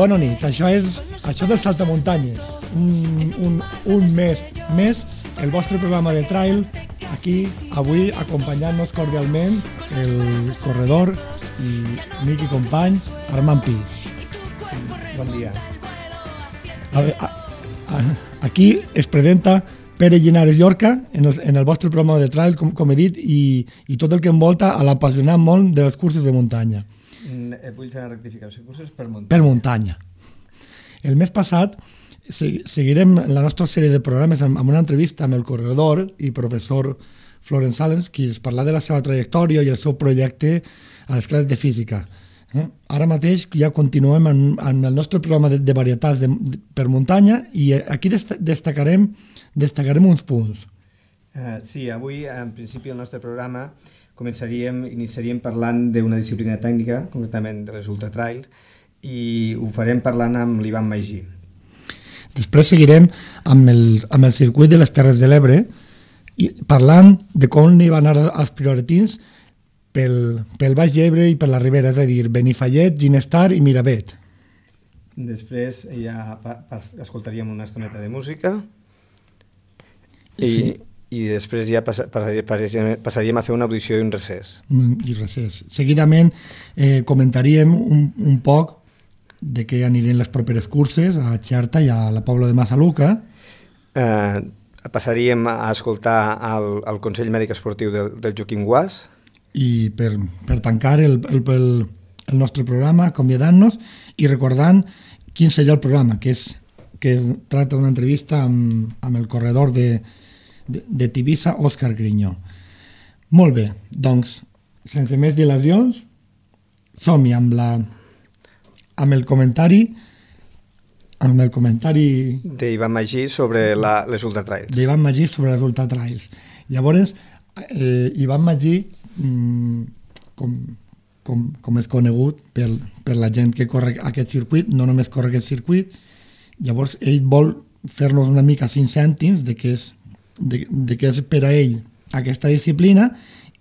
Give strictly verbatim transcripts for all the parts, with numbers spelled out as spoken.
bona nit. Això és, això del Saltamuntanyes. Un, un, un mes més, el vostre programa de trail, aquí, avui, acompanyant-nos cordialment el corredor i amic i company Armand Pi. Bon dia. A, a, a, aquí es presenta Pere Llinares Llorca en el, en el vostre programa de trail, com, com he dit, i, i tot el que envolta a l'apassionat món de les curses de muntanya. Vull fer una rectificació. Curses per muntanya. Per muntanya. El mes passat seguirem la nostra sèrie de programes amb una entrevista amb el corredor i professor Florence Salens, qui es parla de la seva trajectòria i el seu projecte a les classes de física. Eh? Ara mateix ja continuem amb, amb el nostre programa de, de varietats de, de, per muntanya i aquí dest destacarem, destacarem uns punts. Uh, sí, avui, en principi, el nostre programa començaríem, iniciaríem parlant d'una disciplina tècnica, concretament de les ultratrails, i ho farem parlant amb l'Ivan Magí. Després seguirem amb el, amb el circuit de les Terres de l'Ebre, i parlant de com hi van anar els prioritins pel, pel Baix Ebre i per la Ribera, és a dir, Benifallet, Ginestar i Miravet. Després ja pa, pa, escoltaríem una estoneta de música i, sí. i després ja pas, passaríem, passaríem a fer una audició i un recés. Mm, I recés. Seguidament eh, comentaríem un, un poc de què anirien les properes curses a Xerta i a la Pobla de Massaluca. Eh, passaríem a escoltar el, el Consell Mèdic Esportiu del, del Joaquim Guas. I per, per tancar el, el, el, el nostre programa, acomiadant-nos i recordant quin seria el programa, que és que tracta d'una entrevista amb, amb el corredor de, de, de Tivissa, Òscar Grinyó. Molt bé, doncs, sense més dilacions, som-hi amb la amb el comentari amb el comentari d'Ivan Magí sobre la, les ultratrails. D'Ivan Magí sobre les ultratrails. Llavors, eh, Ivan Magí, com, com, com és conegut per, per la gent que corre aquest circuit, no només corre aquest circuit, llavors ell vol fer-nos una mica cinc cèntims de què és, de, de què és per a ell aquesta disciplina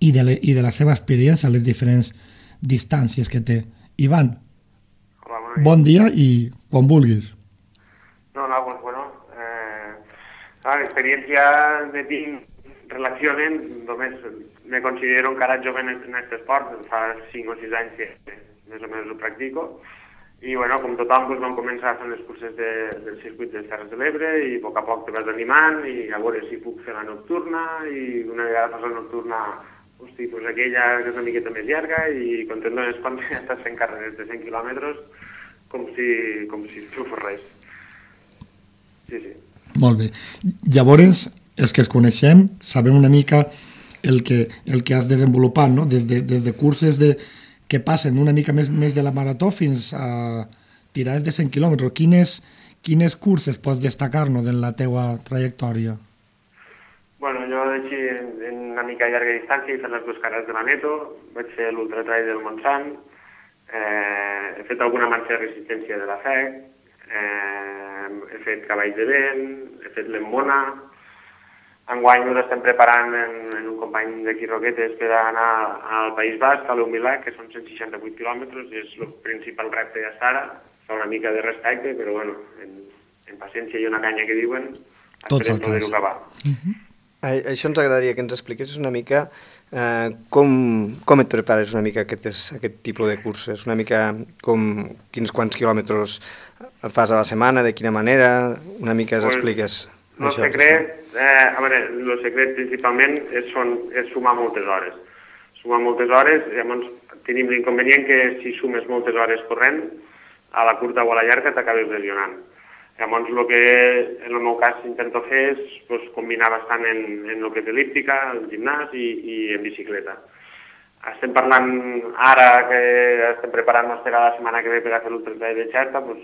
i de, le, i de la seva experiència a les diferents distàncies que té. Ivan, Hola, bon dia i quan vulguis. No, no, pues bueno, eh, la experiencia de tinc relacionen, només me considero encara jove en, en aquest esport, fa cinc o sis anys que més o menys ho practico, i bueno, com tothom doncs, vam començar fent les curses de, del circuit de les Terres de l'Ebre i a poc a poc te vas animant i a veure si puc fer la nocturna i una vegada fas la nocturna, hosti, doncs aquella que és una miqueta més llarga i quan te'n dones compte ja estàs fent carreres de cent quilòmetres com si, com si no fos res. Sí, sí. Molt bé. Llavors, els que es coneixem, sabem una mica el que, el que has desenvolupat, no? Des de, des de curses de, que passen una mica més, més de la marató fins a tirades de cent quilòmetres. Quines, quines curses pots destacar-nos en la teua trajectòria? Bueno, jo així, en una mica llarga distància he fet les dues carreres de la Neto, vaig fer l'ultratrail del Montsant, eh, he fet alguna marxa de resistència de la F E C, eh, he fet cavalls de vent, he fet l'Emmona. Enguany ens estem preparant en, en un company d'aquí Roquetes per anar al País Basc, a l'Humilà, que són cent seixanta-vuit quilòmetres, i és el principal repte ja ara. Fa una mica de respecte, però bueno, en, en paciència i una canya que diuen, esperem poder-ho acabar. Uh-huh. Això ens agradaria que ens expliquessis una mica eh, com, com et prepares una mica aquest, aquest tipus de curses, una mica com quins quants quilòmetres fas a la setmana, de quina manera, una mica ens expliques. El secret, eh, a veure, el secret principalment és, són, és sumar moltes hores. Sumar moltes hores, llavors tenim l'inconvenient que si sumes moltes hores corrent, a la curta o a la llarga t'acabes lesionant. Llavors el que en el meu cas intento fer és pues, combinar bastant en, en el que és elíptica, el gimnàs i, i en bicicleta. Estem parlant ara que estem preparant-nos per a la setmana que ve per a fer l'ultratrail de Xerta, pues,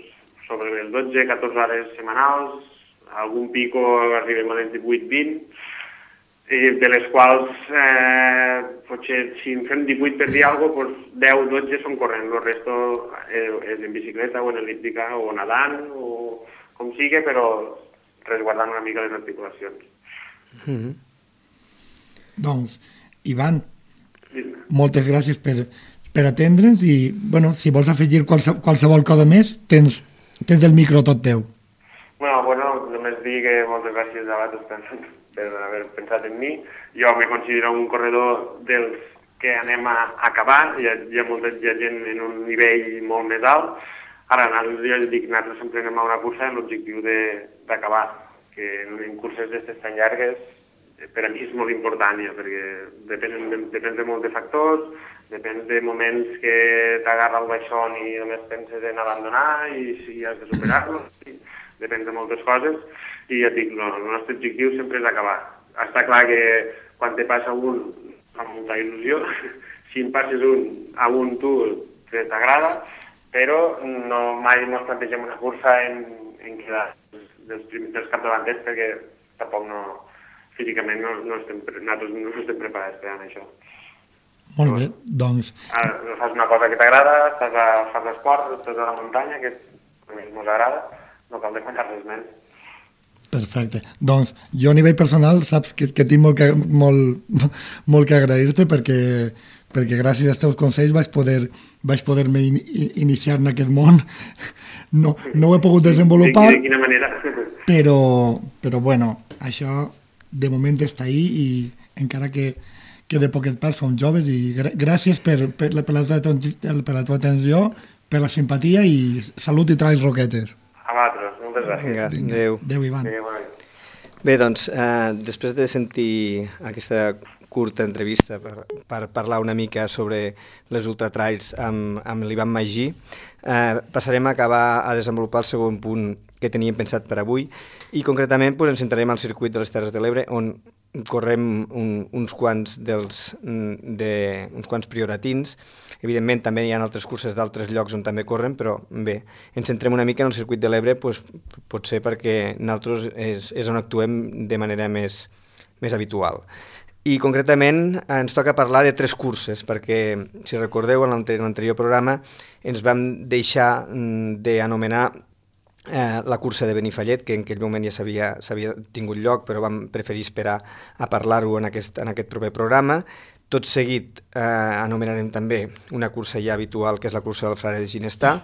sobre les dotze a catorze hores setmanals, algun pico arribem a les divuit vint, de les quals eh, potser si en fem divuit per dir alguna cosa, doncs deu dotze són corrent, el resto és en bicicleta o en elíptica o nedant o com sigui, però resguardant una mica les articulacions. Mm-hmm. Doncs, Ivan, moltes gràcies per, per atendre'ns i, bueno, si vols afegir qualse, qualsevol cosa més, tens, tens el micro tot teu. Bueno, bueno, només dir que moltes gràcies a vosaltres per haver pensat en mi. Jo me considero un corredor dels que anem a acabar, hi ha, hi ha molta hi ha gent en un nivell molt més alt. Ara, jo dic, nosaltres sempre anem a una cursa amb l'objectiu d'acabar, que en curses d'aquestes tan llargues per a mi és molt important, ja, perquè depèn de, depèn de molts de factors, depèn de moments que t'agarra el baixón i només penses en abandonar i si has de superar-lo, depèn de moltes coses, i ja dic, no, el nostre objectiu sempre és acabar. Està clar que quan te passa un fa molta il·lusió, si en passes un a un tu t'agrada, però no, mai no plantegem una cursa en, en quedar dels, dels capdavanters perquè tampoc no, físicament no, no, estem, nosaltres no estem preparats per a això. Molt bé, doncs... Ara, fas una cosa que t'agrada, estàs a, fas l'esport, estàs a la muntanya, que a mi ens agrada, no cal defensar res més. Perfecte. Doncs jo a nivell personal saps que, que tinc molt que, molt, molt que agrair-te perquè, perquè gràcies als teus consells vaig poder vaig poder-me in, iniciar en aquest món. No, no ho he pogut desenvolupar. De, de quina manera? Però, però bueno, això de moment està ahí i encara que, que de poquet part som joves i gràcies per, per, la, per, la teva, per la teva atenció, per la simpatia i salut i traïs roquetes. A vosaltres, moltes gràcies. Vinga, adéu. Adéu, Ivan. Adéu, adéu. Bé, doncs, eh, després de sentir aquesta curta entrevista per, per parlar una mica sobre les ultratrails amb, amb l'Ivan Magí, eh, passarem a acabar a desenvolupar el segon punt que teníem pensat per avui i concretament pues, ens centrarem al circuit de les Terres de l'Ebre on correm un, uns quants dels de, uns quants prioratins. Evidentment també hi ha altres curses d'altres llocs on també corren, però bé, ens centrem una mica en el circuit de l'Ebre pues, potser perquè nosaltres és, és on actuem de manera més, més habitual. I concretament ens toca parlar de tres curses, perquè si recordeu en l'anterior programa ens vam deixar d'anomenar Eh, la cursa de Benifallet, que en aquell moment ja s'havia tingut lloc, però vam preferir esperar a parlar-ho en, aquest, en aquest proper programa. Tot seguit eh, anomenarem també una cursa ja habitual, que és la cursa del Frare de Ginestar,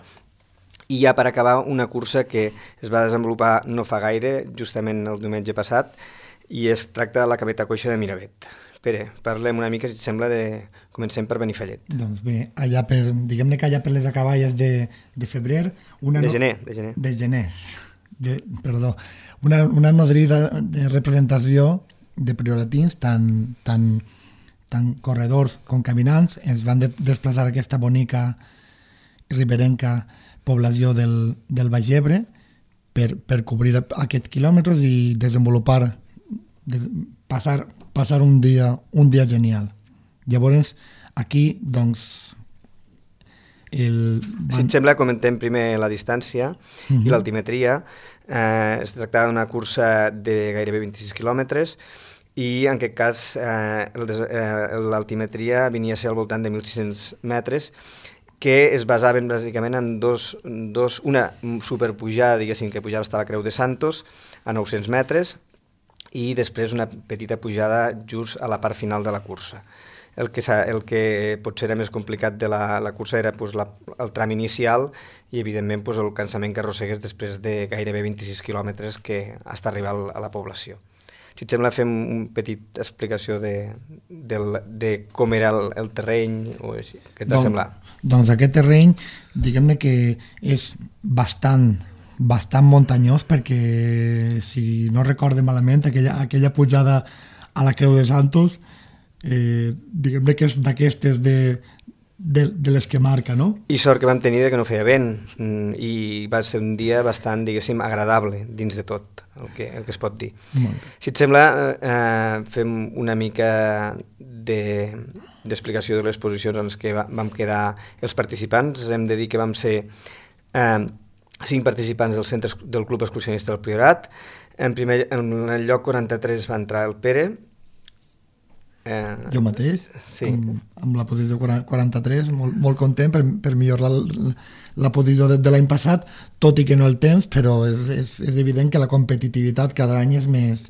i ja per acabar una cursa que es va desenvolupar no fa gaire, justament el diumenge passat, i es tracta de la Cameta Coixa de Miravet. Pere, parlem una mica, si et sembla, de... comencem per Benifallet. Doncs bé, allà per, diguem-ne que allà per les acaballes de, de febrer... Una de no... gener, de gener. De gener, de, perdó. Una, una nodrida de representació de prioratins, tant, tant, tant corredors com caminants, ens van de, desplaçar a aquesta bonica riberenca població del, del Baix Ebre per, per cobrir aquests quilòmetres i desenvolupar, des, passar... passar un dia, un dia genial. Llavors, aquí, doncs... El... Si et sembla, comentem primer la distància uh-huh. i l'altimetria. Eh, es tractava d'una cursa de gairebé vint-i-sis quilòmetres i, en aquest cas, eh, eh, l'altimetria venia a ser al voltant de mil sis-cents metres, que es basaven bàsicament en dos, dos, una superpujada, diguéssim, que pujava fins a la Creu de Santos, a nou-cents metres, i després una petita pujada just a la part final de la cursa. El que, el que potser era més complicat de la, la cursa era pues, la, el tram inicial i, evidentment, pues, el cansament que arrossegues després de gairebé vint-i-sis quilòmetres que hasta arribar a la població. Si et sembla, fem una petita explicació de, de, de com era el, el terreny o així. Què t'ha semblat? Doncs aquest terreny, diguem-ne que és bastant bastant muntanyós perquè, si no recorde malament, aquella, aquella pujada a la Creu de Santos, eh, diguem-ne que és d'aquestes de, de, de les que marca, no? I sort que vam tenir de que no feia vent i va ser un dia bastant, diguéssim, agradable dins de tot, el que, el que es pot dir. Si et sembla, eh, fem una mica de, d'explicació de les posicions en les que va, vam quedar els participants. Hem de dir que vam ser... Eh, cinc participants del centre del Club Excursionista del Priorat. En, primer, en el lloc quaranta-tres va entrar el Pere. Eh, jo mateix, sí. amb, amb la posició quaranta-tres, molt, molt content per, per millorar la, la posició de, de l'any passat, tot i que no el temps, però és, és, és evident que la competitivitat cada any és més,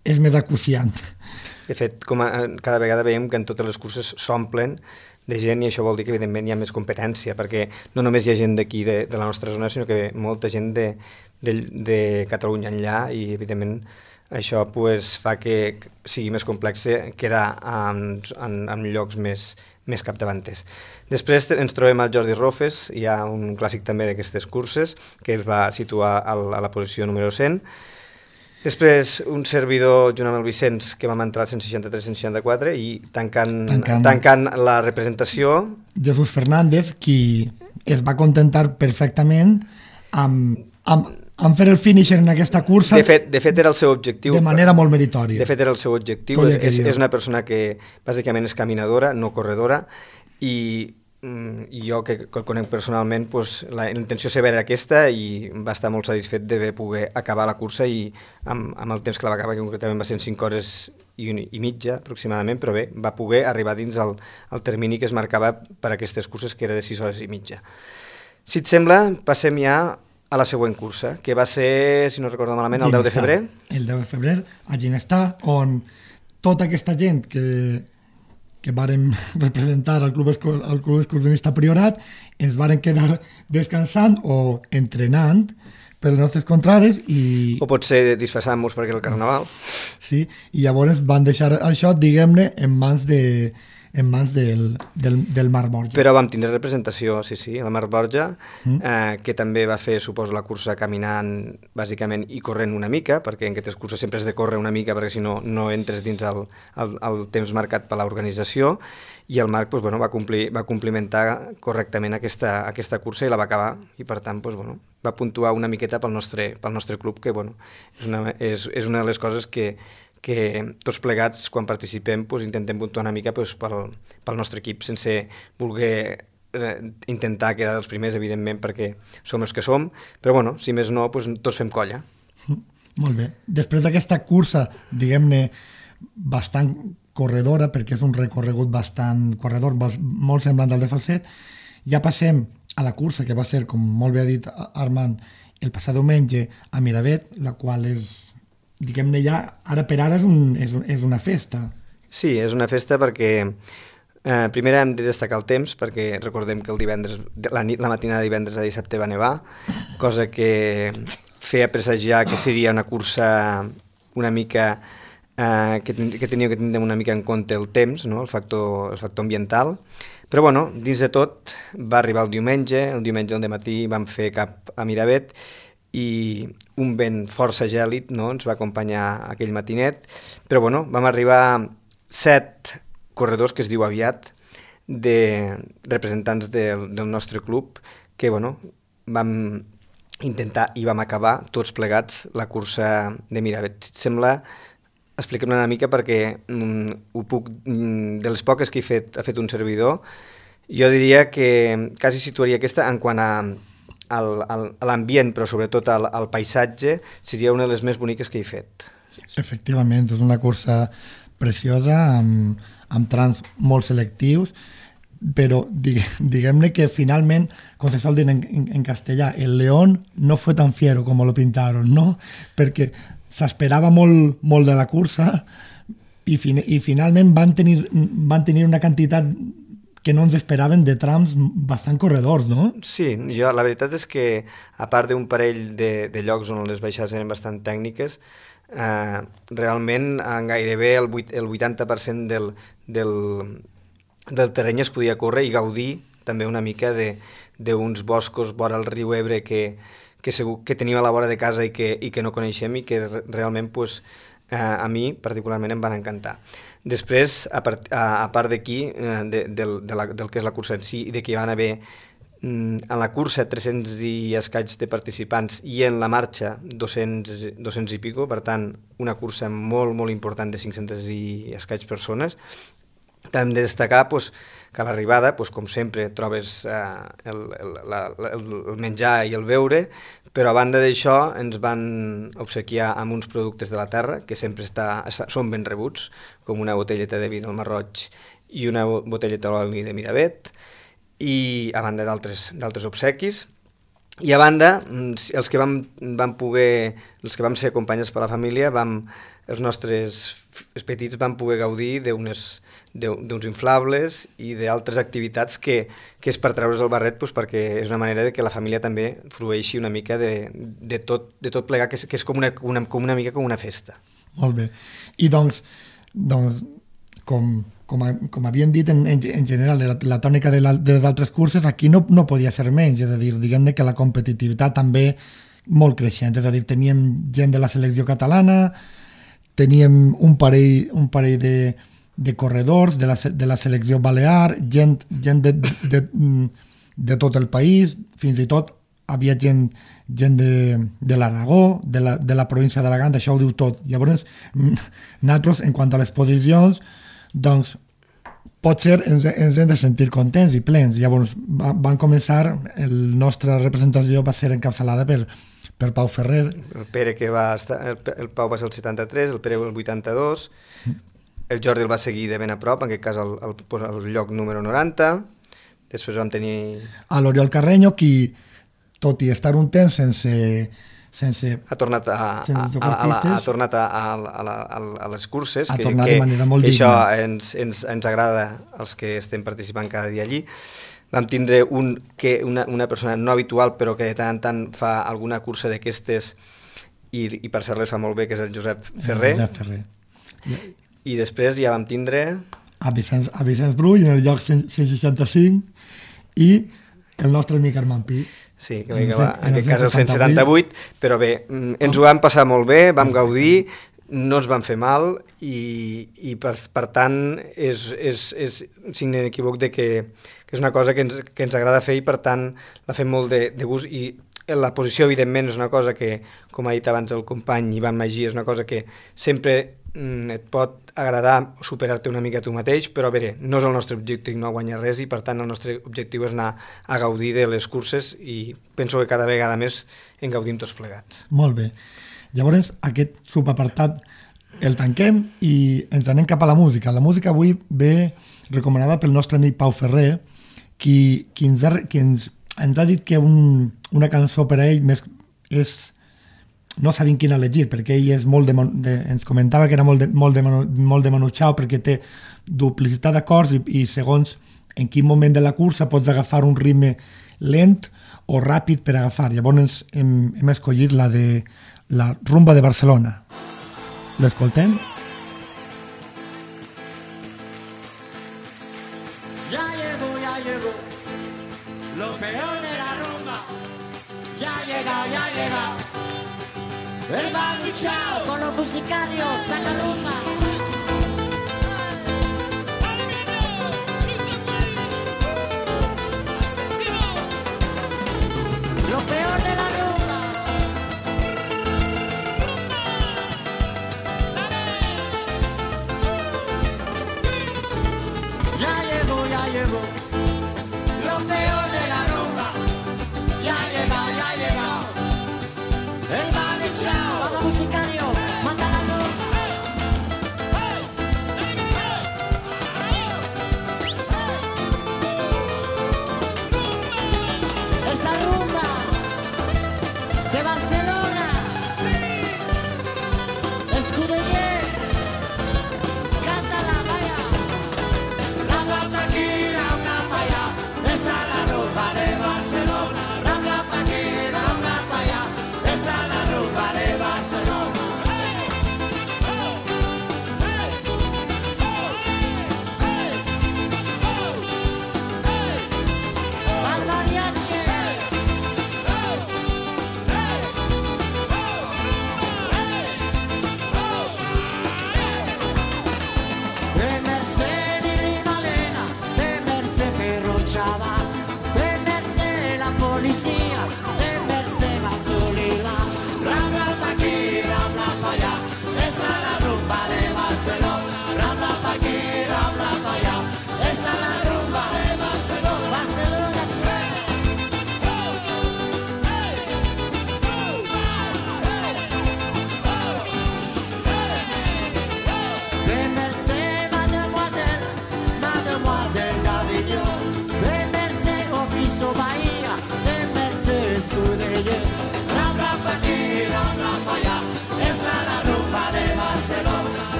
és més acuciant. De fet, com a, cada vegada veiem que en totes les curses s'omplen de gent, i això vol dir que evidentment hi ha més competència, perquè no només hi ha gent d'aquí de, de la nostra zona, sinó que molta gent de, de, de Catalunya enllà, i evidentment això pues, fa que sigui més complex quedar en, en, en llocs més, més capdavanters. Després ens trobem al Jordi Rofes, hi ha un clàssic també d'aquestes curses, que es va situar al, a la posició número cent. Després un servidor, junt amb el Vicenç, que vam entrar al cent seixanta-tres cent seixanta-quatre, i tancant, tancant, tancant la representació... Jesús Fernández, qui es va contentar perfectament amb, amb, amb fer el finisher en aquesta cursa. De fet, de fet era el seu objectiu. De manera molt meritòria. De fet era el seu objectiu. És, és, és una persona que bàsicament és caminadora, no corredora, i, i jo que el conec personalment, pues, la intenció seva era aquesta, i va estar molt satisfet de poder acabar la cursa, i amb, amb el temps que la va acabar, que concretament va ser en cinc hores i, un, i mitja aproximadament, però bé, va poder arribar dins el, el termini que es marcava per a aquestes curses, que era de sis hores i mitja. Si et sembla, passem ja a la següent cursa, que va ser, si no recordo malament, el deu de febrer. El deu de febrer, a Ginestar, on tota aquesta gent que... que vàrem representar al club, al club excursionista Priorat, ens vàrem quedar descansant o entrenant per les nostres contrades i... O potser disfressant-nos perquè era el carnaval. Sí, i llavors van deixar això, diguem-ne, en mans de en mans del, del, del Marc Borja. Però vam tindre representació, sí, sí, el Marc Borja, mm. eh, que també va fer, suposo, la cursa caminant, bàsicament, i corrent una mica, perquè en aquestes curses sempre has de córrer una mica, perquè si no, no entres dins el, el, el temps marcat per l'organització, i el Marc pues, bueno, va, complir, va complimentar correctament aquesta, aquesta cursa i la va acabar, i per tant pues, bueno, va puntuar una miqueta pel nostre, pel nostre club, que bueno, és, una, és, és una de les coses que que tots plegats, quan participem, pues, intentem puntuar una mica pues, pel, pel nostre equip, sense voler eh, intentar quedar dels primers, evidentment, perquè som els que som, però bueno, si més no, pues, tots fem colla. Molt bé. Després d'aquesta cursa, diguem-ne, bastant corredora, perquè és un recorregut bastant corredor, molt semblant al de Falset, ja passem a la cursa, que va ser, com molt bé ha dit Armand, el passat diumenge a Miravet, la qual és... diguem-ne ja, ara per ara és, un, és, un, és una festa. Sí, és una festa perquè eh, primer hem de destacar el temps, perquè recordem que el divendres, la, nit, la matinada de divendres a dissabte va nevar, cosa que feia presagiar que seria una cursa una mica eh, que, que tenia que tindre una mica en compte el temps, no? el, factor, el factor ambiental, però bueno, dins de tot va arribar el diumenge, el diumenge al dematí vam fer cap a Miravet, i un vent força gèlid, no? Ens va acompanyar aquell matinet, però bueno, vam arribar set corredors, que es diu aviat, de representants del, del nostre club, que bueno, vam intentar i vam acabar tots plegats la cursa de Miravet. Si et sembla, expliquem una mica perquè mm, ho puc, mm, de les poques que he fet, ha fet un servidor, jo diria que quasi situaria aquesta en quant a a l'ambient, però sobretot al, al paisatge, seria una de les més boniques que he fet. Efectivament, és una cursa preciosa, amb, amb trams molt selectius, però diguem-ne que finalment, com se sol dir en, en, en castellà, el león no fue tan fiero como lo pintaron, no? Perquè s'esperava molt, molt de la cursa i, fin i finalment van tenir, van tenir una quantitat que no ens esperaven de trams bastant corredors, no? Sí, jo, la veritat és que, a part d'un parell de, de llocs on les baixades eren bastant tècniques, eh, realment en gairebé el, el vuitanta per cent del, del, del terreny es podia córrer i gaudir també una mica d'uns boscos vora el riu Ebre que, que, segur, que tenim a la vora de casa i que, i que no coneixem i que realment pues, eh, a mi particularment em van encantar. Després, a part, a, a part d'aquí, eh, de, de, de la, del que és la cursa en si, i de que hi van haver mm, en la cursa tres-cents i escaig de participants i en la marxa dos-cents, dos-cents i pico, per tant, una cursa molt, molt important de cinc-centes i escaig persones. També hem de destacar pues, que a l'arribada, pues, com sempre, trobes eh, el, el, la, el, el menjar i el beure, però a banda d'això ens van obsequiar amb uns productes de la terra que sempre està, són ben rebuts, com una botelleta de vi del Marroig i una botelleta d'oli de Miravet, i a banda d'altres obsequis. I a banda, els que vam, vam poder, els que vam ser acompanyats per la família, vam, els nostres els petits van poder gaudir d'unes d'uns inflables i d'altres activitats que, que és per treure's el barret, doncs, perquè és una manera de que la família també frueixi una mica de, de, tot, de tot plegar, que és, que és com, una, una, com una mica com una festa. Molt bé. I doncs, doncs com, com, a, com havien dit en, en, en general, la, la tònica de, la, de les altres curses, aquí no, no podia ser menys, és a dir, diguem-ne que la competitivitat també molt creixent, és a dir, teníem gent de la selecció catalana, teníem un parell, un parell de de corredors de la, de la selecció balear, gent, gent de, de, de tot el país, fins i tot havia gent, gent de, de l'Aragó, de la, de la província d'Alacant, això ho diu tot. Llavors, nosaltres, en quant a les posicions, doncs, potser ens, ens hem de sentir contents i plens. Llavors, va, van començar, la nostra representació va ser encapçalada per, per Pau Ferrer. El Pere que va estar, el, el Pau va ser el setanta-tres, el Pere el vuitanta-dos, el Jordi el va seguir de ben a prop, en aquest cas el, el, el lloc número noranta, després vam tenir... A l'Oriol Carreño, qui, tot i estar un temps sense... sense ha tornat a, a, a, a, la, ha tornat a, a, a, a les curses, ha que, tornat que, de manera molt que digna. Això ens, ens, ens agrada als que estem participant cada dia allí. Vam tindre un, que una, una persona no habitual, però que de tant en tant fa alguna cursa d'aquestes, i, i per ser-les fa molt bé, que és el Josep Ferrer. El Josep Ferrer. I després ja vam tindre... A Vicenç, a Vicenç Brull, en el lloc cent seixanta-cinc, i el nostre amic Armand Pi. Sí, que en, va, en aquest cas el cent setanta-vuit, però bé, ens ho vam passar molt bé, vam gaudir, no ens van fer mal, i, i per, per tant és, és, és signe inequívoc de que, que és una cosa que ens, que ens agrada fer i per tant la fem molt de, de gust, i la posició evidentment és una cosa que, com ha dit abans el company Ivan Magí, és una cosa que sempre et pot agradar superar-te una mica tu mateix, però a veure, no és el nostre objectiu no guanyar res i per tant el nostre objectiu és anar a gaudir de les curses i penso que cada vegada més en gaudim tots plegats. Molt bé. Llavors aquest subapartat el tanquem i ens anem cap a la música. La música avui ve recomanada pel nostre amic Pau Ferrer, qui, qui, ens, ha, qui ens, ens ha dit que un, una cançó per a ell més és... no sabien quina elegir, perquè ell és molt de, de, ens comentava que era molt de, molt de, molt de Manu Chao, perquè té duplicitat d'acords i, i segons en quin moment de la cursa pots agafar un ritme lent o ràpid per agafar. Llavors hem, hem escollit la de la rumba de Barcelona. L'escoltem? Ya llegó, ya llegó, lo peor de la rumba. Ya ha llegado, ya ha llegado. El Manu Chao con los musicarios, saca rumba. Lo peor de la rumba. Ya llegó, ya llegó. Lo peor de la rumba. Ya ha llegado, ya ha llegado. El Manu Chao, vamos musicario, manda la rumba. Esa rumba de Barcelona, Escudeller, cántala, vaya. Rambla pa' aquí, rambla pa' allá, esa es la rumba de Barcelona. Rambla pa' aquí, rambla pa' allá, esa es la rumba de Barcelona. Al mariachi. Temerse di rivalena, temerse Ferrucciava, temerse la polizia, temerse Mandolila. Rambla pa' aquí, rambla pa' allá, esa es la rumba de Barcelona. Rambla pa' aquí, rambla pa' allá, esa es la rumba de Barcelona. Barcelona Temerse mademoiselle, mademoiselle d'Avignon, temerse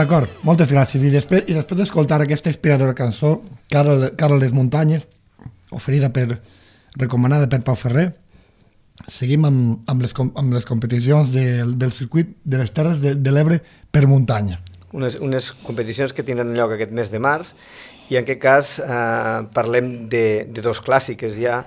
D'acord, moltes gràcies. I després, i després d'escoltar aquesta inspiradora cançó, Carol, Carol les Muntanyes, oferida per, recomanada per Pau Ferrer, seguim amb, amb, les, amb les competicions de, del circuit de les Terres de, de l'Ebre per muntanya. Unes, unes competicions que tindran lloc aquest mes de març, i en aquest cas eh, parlem de, de dos clàssiques ja,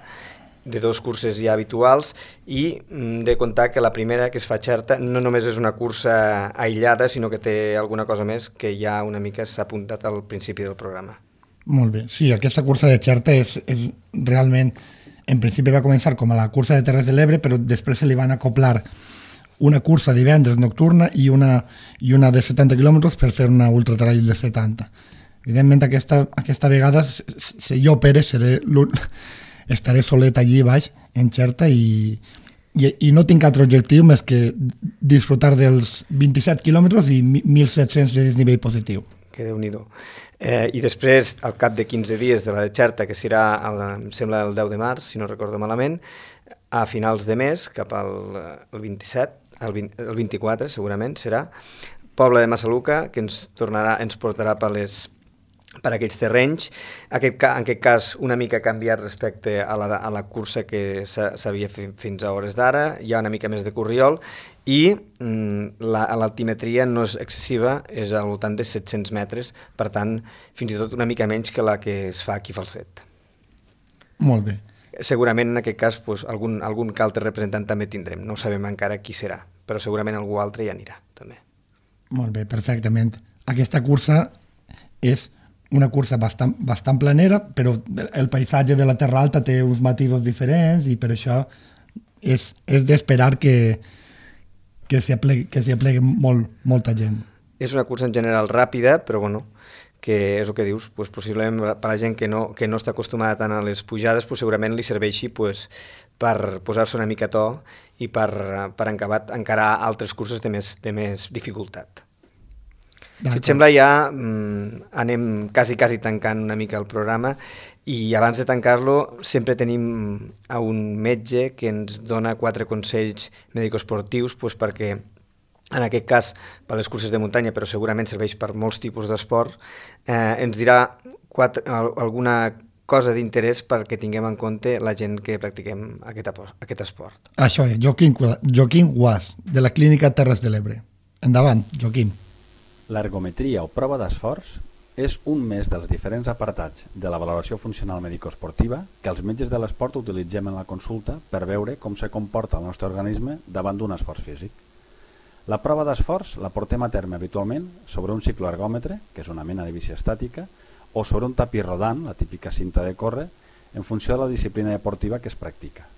de dos curses ja habituals, i de comptar que la primera, que es fa a Xerta, no només és una cursa aïllada, sinó que té alguna cosa més que ja una mica s'ha apuntat al principi del programa. Molt bé, sí, aquesta cursa de Xerta és, és realment, en principi va començar com a la cursa de Terres de l'Ebre, però després se li van acoplar una cursa divendres nocturna i una, i una de setanta quilòmetres per fer una ultratrail de setanta. Evidentment, aquesta, aquesta vegada, si jo, Pere, seré estaré solet allí baix, en Xerta, i, i, i no tinc altre objectiu més que disfrutar dels vint-i-set quilòmetres i mil set-cents de desnivell positiu. Que Déu-n'hi-do. Eh, I després, al cap de quinze dies de la de Xerta, que serà, el, em sembla, el deu de març, si no recordo malament, a finals de mes, cap al el vint-i-set, el, vint, el vint-i-quatre segurament serà, Pobla de Massaluca, que ens tornarà, ens portarà per les per aquells terrenys. Aquest, en aquest cas una mica canviat respecte a la, a la cursa que s'havia fet fins a hores d'ara, hi ha una mica més de corriol i mm, l'altimetria no és excessiva, és al voltant de set-cents metres, per tant fins i tot una mica menys que la que es fa aquí a Falset. Molt bé. Segurament en aquest cas pues, algun, algun que altre representant també tindrem, no sabem encara qui serà, però segurament algú altre hi anirà també. Molt bé, perfectament. Aquesta cursa és una cursa bastant, bastant planera, però el paisatge de la Terra Alta té uns matisos diferents i per això és, és d'esperar que, que s'hi aplegui, que s'hi aplegui molt, molta gent. És una cursa en general ràpida, però bueno, que és el que dius, pues, possiblement per la gent que no, que no està acostumada tant a les pujades, pues, segurament li serveixi pues, per posar-se una mica a to i per, per encabar, encarar altres curses de més, de més dificultat. Si et sembla, ja mm, anem quasi, quasi tancant una mica el programa i abans de tancar-lo sempre tenim a un metge que ens dona quatre consells mèdico-esportius pues, perquè, en aquest cas, per les curses de muntanya, però segurament serveix per molts tipus d'esport, eh, ens dirà quatre, alguna cosa d'interès perquè tinguem en compte la gent que practiquem aquest, aquest esport. Això és, Joaquim, Joaquim Guas, de la Clínica Terres de l'Ebre. Endavant, Joaquim. L'ergometria o prova d'esforç és un més dels diferents apartats de la valoració funcional medicoesportiva que els metges de l'esport utilitzem en la consulta per veure com se comporta el nostre organisme davant d'un esforç físic. La prova d'esforç la portem a terme habitualment sobre un cicloergòmetre, que és una mena de bici estàtica, o sobre un tapís rodant, la típica cinta de córrer, en funció de la disciplina deportiva que es practica.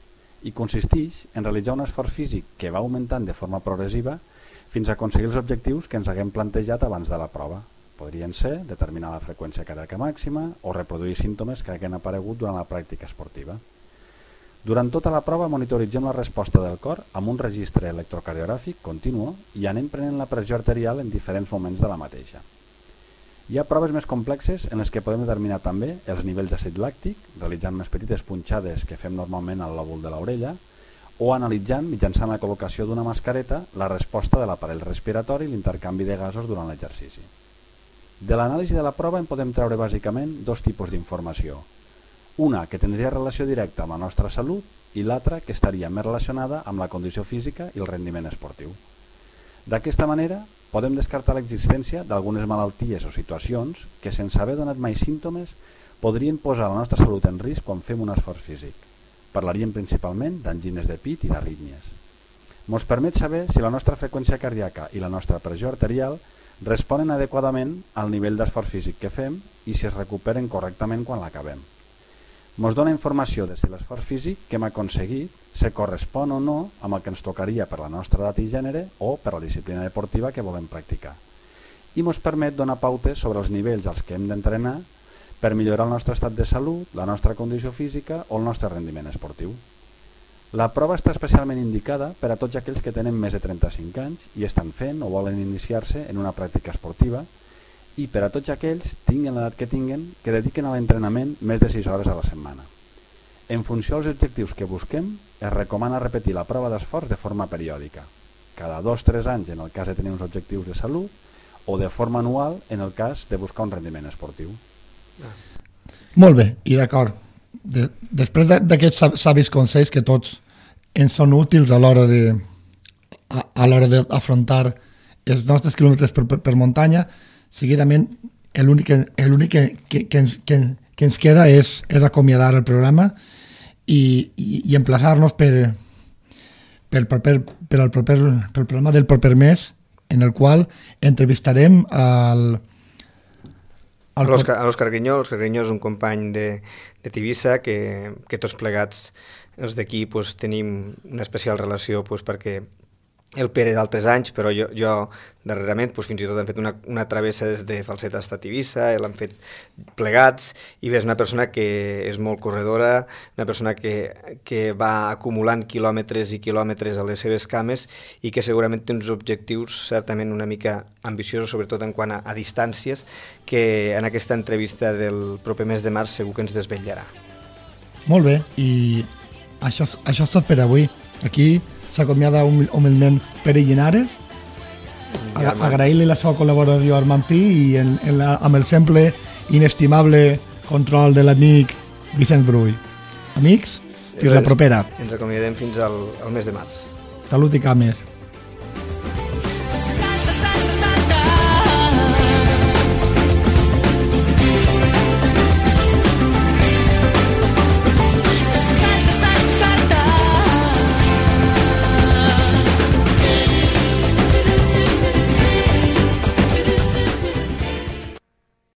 I consisteix en realitzar un esforç físic que va augmentant de forma progressiva fins a aconseguir els objectius que ens haguem plantejat abans de la prova. Podrien ser determinar la freqüència cardíaca màxima o reproduir símptomes que hagin aparegut durant la pràctica esportiva. Durant tota la prova monitoritzem la resposta del cor amb un registre electrocardiogràfic continu i anem prenent la pressió arterial en diferents moments de la mateixa. Hi ha proves més complexes en les que podem determinar també els nivells d'àcid làctic, realitzant unes petites punxades que fem normalment al lòbul de l'orella, o analitzant, mitjançant la col·locació d'una mascareta, la resposta de l'aparell respiratori i l'intercanvi de gasos durant l'exercici. De l'anàlisi de la prova en podem treure bàsicament dos tipus d'informació. Una que tindria relació directa amb la nostra salut i l'altra que estaria més relacionada amb la condició física i el rendiment esportiu. D'aquesta manera, podem descartar l'existència d'algunes malalties o situacions que, sense haver donat mai símptomes, podrien posar la nostra salut en risc quan fem un esforç físic. Parlaríem principalment d'angines de pit i d'arrítmies. Ens permet saber si la nostra freqüència cardíaca i la nostra pressió arterial responen adequadament al nivell d'esforç físic que fem i si es recuperen correctament quan l'acabem. Ens dona informació de si l'esforç físic que hem aconseguit se correspon o no amb el que ens tocaria per la nostra edat i gènere o per la disciplina deportiva que volem practicar. I ens permet donar pautes sobre els nivells als que hem d'entrenar per millorar el nostre estat de salut, la nostra condició física o el nostre rendiment esportiu. La prova està especialment indicada per a tots aquells que tenen més de trenta-cinc anys i estan fent o volen iniciar-se en una pràctica esportiva i per a tots aquells, tinguin l'edat que tinguin, que dediquen a l'entrenament més de sis hores a la setmana. En funció dels objectius que busquem, es recomana repetir la prova d'esforç de forma periòdica, cada dos o tres anys en el cas de tenir uns objectius de salut o de forma anual en el cas de buscar un rendiment esportiu. Molt bé, i d'acord. De, després d'aquests savis consells que tots ens són útils a l'hora de a, a l'hora d'afrontar els nostres quilòmetres per, per, per muntanya, seguidament l'únic que, que, que, ens, que, que ens queda és, és acomiadar el programa i, i, i emplaçar-nos per, per, per, per, el proper, per el programa del proper mes, en el qual entrevistarem al l'Òscar Grinyó. L'Òscar Grinyó és un company de, de Tivissa que, que tots plegats els d'aquí pues, tenim una especial relació pues, perquè el Pere d'altres anys, però jo, jo darrerament pues, fins i tot hem fet una, una travessa des de Falset fins a Tivissa, l'hem fet plegats, i bé, és una persona que és molt corredora, una persona que, que va acumulant quilòmetres i quilòmetres a les seves cames i que segurament té uns objectius certament una mica ambiciosos, sobretot en quant a, a distàncies, que en aquesta entrevista del proper mes de març segur que ens desvetllarà. Molt bé, i això, això és tot per avui. Aquí s'acomiada humilment Pere Llinares, agrair-li la seva col·laboració a Armand Pi i en, en la, amb el sempre inestimable control de l'amic Vicenç Brull. Amics, fins la propera. Ens acomiadem fins al, al mes de març. Salut i cames.